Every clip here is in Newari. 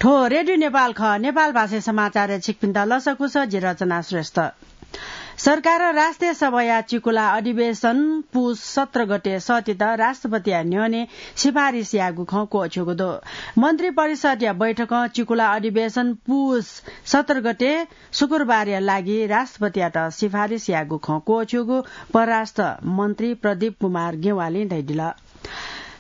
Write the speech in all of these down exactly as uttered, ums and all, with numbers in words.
थ्व रेडियो नेपाल खः। नेपाल भाषाय् समाचारय् छिकपिन्त लसकुस, जि रचना श्रेष्ठ। सरकारं राष्ट्रिय सभाया चिकुला अधिवेशन पुस सत्र गते सःतेत राष्ट्रपतिया न्ह्यःने सिफारिस याःगु खँ क्वःछ्यूगु दु। मन्त्री परिषदया बैठकं चिकुला अधिवेशन पुस सत्र गते शुक्रबारया लागि राष्ट्रपतियात सिफारिस याःगु खँ क्वःछ्यूगु परराष्ट्र मन्त्री प्रदीप कुमार गेवालीं धयादिल।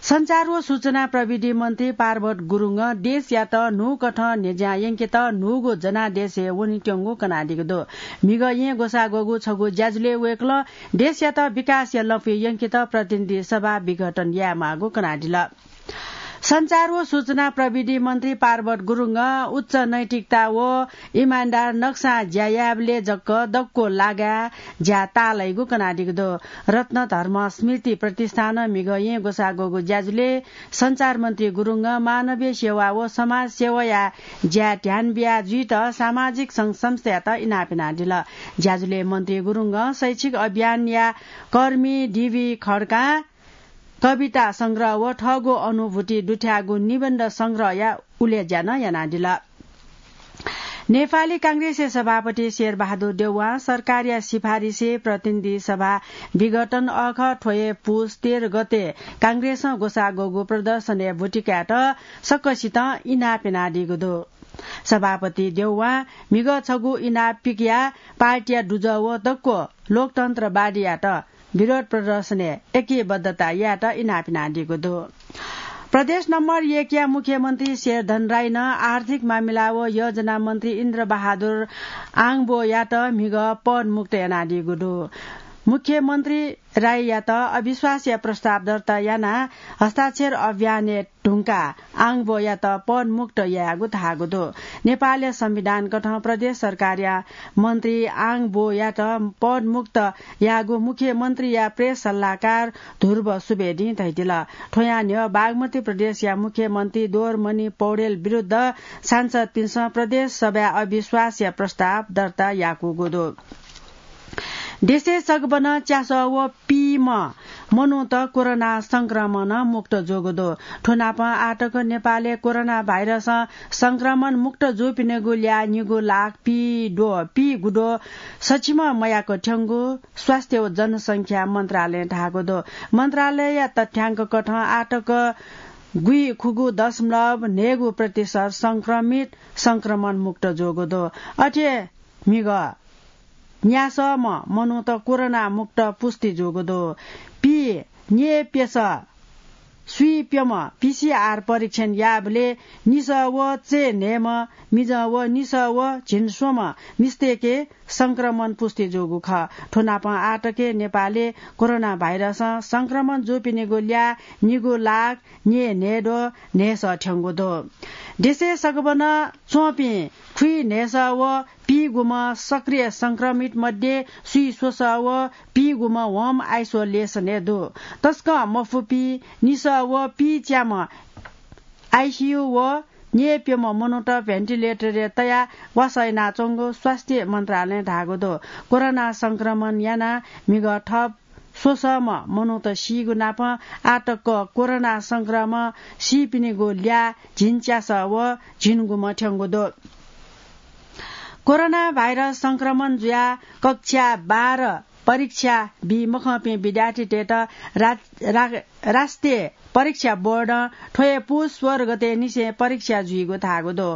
सञ्चार व सूचना प्रविधि मन्त्री पार्वत गुरुङं देशयात न्हूकथं न्ह्यज्यां यंकेत न्हूगु जनादेशय् वनेत्यंगु कनादीगु दु। म्हिगः येँ ग्वसाः ग्वःगु छगू ज्याझ्वलय् वय्कलं देशयात विकासया लँपुइ यंकेत प्रतिनिधि सभा विघटन यायेमाःगु कनादिल। सञ्चार व सूचना प्रविधि मन्त्री पार्वत गुरुङं उच्च नैतिकता व इमानदार नक्सां ज्या यायेबलय् जक दक्व लागाय् ज्या ताःलाइगु कनादीगु दु। रत्न धर्म स्मृति प्रतिष्ठानं म्हिगः येँ ग्वसाः ग्वःगु ज्याझ्वलय् सञ्चार मन्त्री गुरुङं मानवीय सेवा व समाज सेवाया ज्याय् ध्यान बिया जुइत सामाजिक संघ संस्थायात इनाप यानादिल। ज्याझ्वलय् मन्त्री गुरुङं शैक्षिक अभियानया कर्मी डिभी खड्कां कविता संग्रह व थःगु अनुभूति दुथ्याःगु निबन्ध संग्रहया उलेज्या नं यानादिल। नेपाली कांग्रेसया सभापति शेरबहादुर देउवां सरकारया सिफारिसय् प्रतिनिधि सभा विघटन अःखः थ्व हे पुस तेह्र गते कांग्रेसं ग्वसाः ग्वःगु प्रदर्शनय् ब्वति कायेत सकसितं इनाप यानादीगु दु। सभापति देउवां म्हिगः छगू इनाप पिकयाः पार्टीया दुजः व दक्व लोकतन्त्रवादीयात विरोध प्रदर्शनय् एकीबद्धता यायेत इनाप यानादीगु दु। प्रदेश नम्बर एकया मुख्यमन्त्री शेरधन राईनं आर्थिक मामिला व योजना मन्त्री इन्द्रबहादुर आङबोयात म्हिगः पदमुक्त यानादीगु दु। मुख्यमन्त्री राईयात अविश्वासया प्रस्ताव दर्ता यानाः हस्ताक्षर अभियानय् धुंकाः आङबोयात पदमुक्त यायेगु धाःगु दु। नेपालया संविधान कथं प्रदेश सरकारया मन्त्री आङबोयात पदमुक्त याःगु मुख्यमन्त्रीया प्रेस सल्लाहकार ध्रुव सुवेदीं धयादिल। थ्वयां न्ह्यः बागमती प्रदेशया मुख्यमन्त्री दोरमणि पौडेल विरुद्ध सांसदपिन्सं प्रदेश सभाय् अविश्वासया प्रस्ताव दर्ता याकूगु दु। देशय् सगबनं च्यासः व पीम्ह मनूत कोरोना संक्रमणं मुक्त जूगु दु। थ्व नापं आःतक नेपालय् कोरोना भाइरसं संक्रमण मुक्त जूपिनिगु ल्याः निगू लाख पीद्वः, पीगुद्वः सछिम्ह मयाक थ्यंगु स्वास्थ्य व जनसंख्या मन्त्रालयं धाःगु दु। मन्त्रालयया तथ्याङ्क कथं आःतक गुइखुगू दशमलव न्हय्गू प्रतिशत संक्रमित संक्रमण मुक्त जूगु दु। अथे म्हिगः न्यासःम्ह मनूत कोरोना मुक्त पुष्टि जूगु दु। पीन्यय्प्यसः स्वीप्यम्ह पीसीआर परीक्षण याःबलय् निसः व चय्न्हय्म्ह मिजं व निसः व झिंस्वम्ह मिस्तय्के संक्रमण पुष्टि जूगु खः। थ्व नापं आःतक नेपालय् कोरोना भाइरसं संक्रमण जूपिनिगु ल्याः निगू लाख न्यय्न्हय्द्वः न्हय्सः थ्यंगु दु। देशय् सगबनं च्वंपिं खुइन्हय्सः व पीगुम्ह सक्रिय संक्रमित मध्ये स्वीस्वसः व पीगुम्ह home isolation-य् दु। तसकं मफुपिं निसः व पीच्याम्ह आइसीयू व न्यय्प्यम्ह मनूत ventilator-य् तयाः वासः यानाच्वंगु स्वास्थ्य मन्त्रालयं धाःगु दु। कोरोना संक्रमण यानाः म्हिगः थप स्वसःम्ह मनूत सीगु नापं आःतक कोरोना संक्रमण सीपिनिगु ल्याः झिंच्यासः व झिंगुम्ह थ्यंगु दु। कोरोना भाइरस संक्रमण जुयाः कक्षा बाह्र परीक्षा बी मखंपिं विद्यार्थीतय्त रा-, रा-, राष्ट्रिय परीक्षा बोर्डं थ्व हे पुस सोह्र गतेनिसें परीक्षा जुइगु धाःगु दु।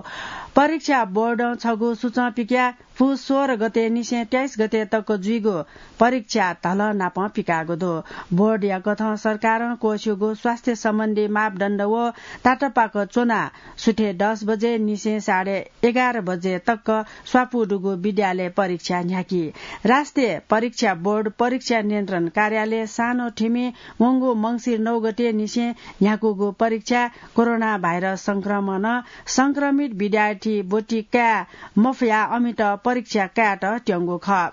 परीक्षा बोर्डं छगू सूचं पिकयाः पुस सोह्र गतेनिसें तेइस गते तक जुइगु परीक्षा धलः नापं पिकाःगु दु। बोर्डया कथं सरकारं क्वःछ्यूगु स्वास्थ्य सम्बन्धी मापदण्ड व तातापाक च्वनाः सुथय् दस बजेनिसें साढे एघार बजे तक स्वापू दुगु विद्यालय परीक्षा न्ह्याकी। राष्ट्रिय परीक्षा बोर्ड परीक्षा नियन्त्रण कार्यालय सानो थिमि वंगु मंसिर नौ गतेनिसें न्ह्याकूगु परीक्षा कोरोना भाइरस संक्रमणं संक्रमित विद्यार्थी ब्वति काये मफयाः अमित परीक्षा कायेत त्यंगु खः।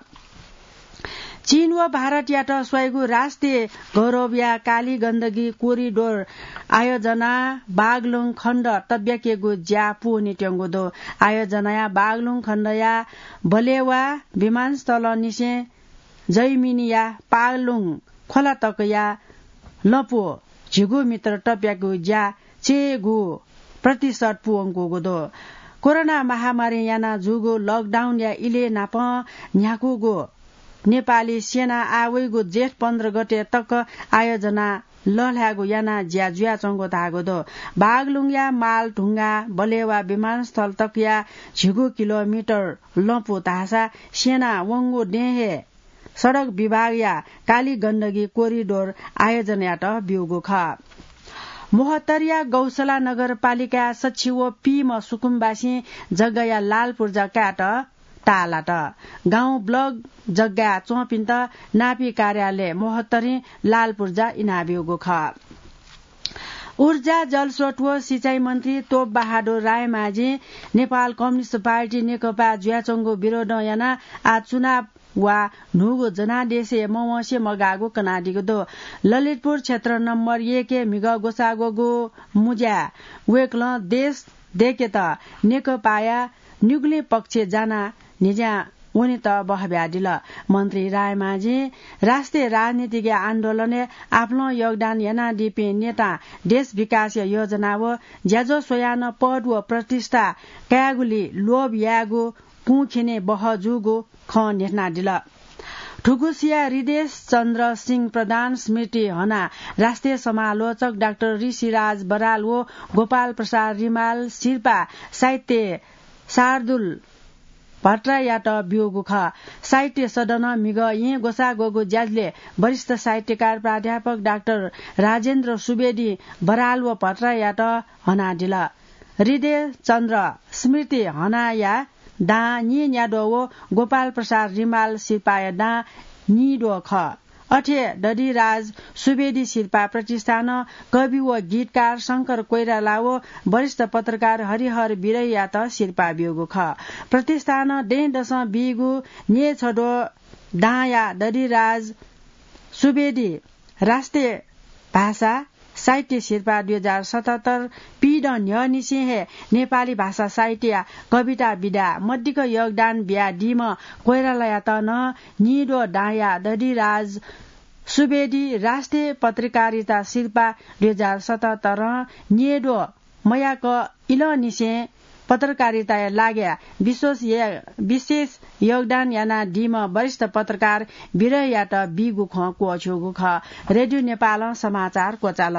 चीन व भारतयात स्वइगु राष्ट्रिय गौरवया काली गण्डकी कोरिडोर आयोजना बागलुङ खण्ड तब्याकेगु ज्या पूवने त्यंगु दु। आयोजनाया बागलुङ खण्डया बलेवा विमानस्थलनिसें जैमिनया पालुङ खोला तकया लँपु झिगू मिटर तब्याकेगु ज्या चयेगु प्रतिशत पुवंकूगु दु। कोरोना महामारी याना जूगु लकडाउनया इलय् नापं न्ह्याकूगु नेपाली सेना आः वइगु जेठ पन्ध्र गते तक आयोजना लःल्हायेगु याना ज्या जुयाच्वंगु धाःगु दु। बागलुङया मालढुङ्गा बलेवा विमानस्थल तकया झिगू किलोमिटर लँपु धाःसा सेना वंगु दँय् हे सडक विभागया काली गण्डकी कोरिडोर आयोजनायात ब्यूगु खः। मोहतरिया गौशाला नगरपालिकाया सछि व पीम्ह सुकुमवासीं जग्गाया लाल पूर्जा कायेत ताःलात। गाउँ ब्लक जग्गाय् च्वंपिन्त नापी कार्यालय मोहतरिं लाल पूर्जा इनाब्यूगु खः। ऊर्जा, जलस्रोत व सिँचाइ मन्त्री तोप बहादुर रायमाझीं नेपाल कम्युनिस्ट पार्टी नेकपा जुयाच्वंगु विरोधं यानाः आः चुनाव वा न्हूगु जनादेशय् मवंसे मगाःगु कनादीगु दु। ललितपुर क्षेत्र नम्बर एकय् म्हिगः ग्वसाः ग्वःगु मुँज्याय् वय्कलं देश दय्केत नेकपाया निगुलिं पक्ष जानाः न्हिज्यां वनेत बहब्यादिल। मन्त्री रायमाझीं राष्ट्रिय राजनीतिक आन्दोलनय् आपालं योगदान यानादीपिं नेतां देश विकासया योजना व ज्याझ्वः स्वयाः नं पद व प्रतिष्ठा कायेगुली लोभ यायेगु कुंखिने बहः जूगु खँ न्ह्यथनादिल। थुगुसिया हृदेश चन्द्र सिंह प्रधान स्मृति हनाः राष्ट्रिय समालोचक डाक्टर ऋषिराज बराल व गोपाल प्रसाद रिमाल सिरपाः साहित्य शार्दुल भट्टराईयात ब्यूगु खः। साहित्य सदनं म्हिगः येँ ग्वसाः ग्वःगु ज्याझ्वलय् वरिष्ठ साहित्यकार प्राध्यापक डाक्टर राजेन्द्र सुवेदीं बराल व भट्टराईयात हनादिल। हृदय चन्द्र स्मृति हनाया दां नीन्याद्वः व गोपाल प्रसाद रिमाल सिरपाःया दां नीद्वः खः। अथे दधिराज सुवेदी सिरपाः प्रतिष्ठानं कवि व गीतकार शंकर कोइराला व वरिष्ठ पत्रकार हरिहर विरहीयात सिरपाः ब्यूगु खः। प्रतिष्ठानं दँय्दसं बीगु न्यय्छद्वः दांया दधिराज सुवेदी राष्ट्रिय भाषा साहित्य सिरपाः दुई हजार सतहत्तर पीदँ न्ह्यःनिसें हे नेपाली भाषा साहित्यया कविता विधाय् मदिक्क योगदान बियादीम्ह कोइरालायात नं नीद्वः दांया दधिराज सुवेदी राष्ट्रिय पत्रकारिता सिरपाः दुई हजार सतहत्तरं नीद्वः मयाक इलंनिसें पत्रकारिताया लागि विशेष, विशेष योगदान यानादीम्ह वरिष्ठ पत्रकार विरहीयात बीगु खँ क्वःछ्यूगु खः। रेडियो नेपालं समाचार क्वचाल।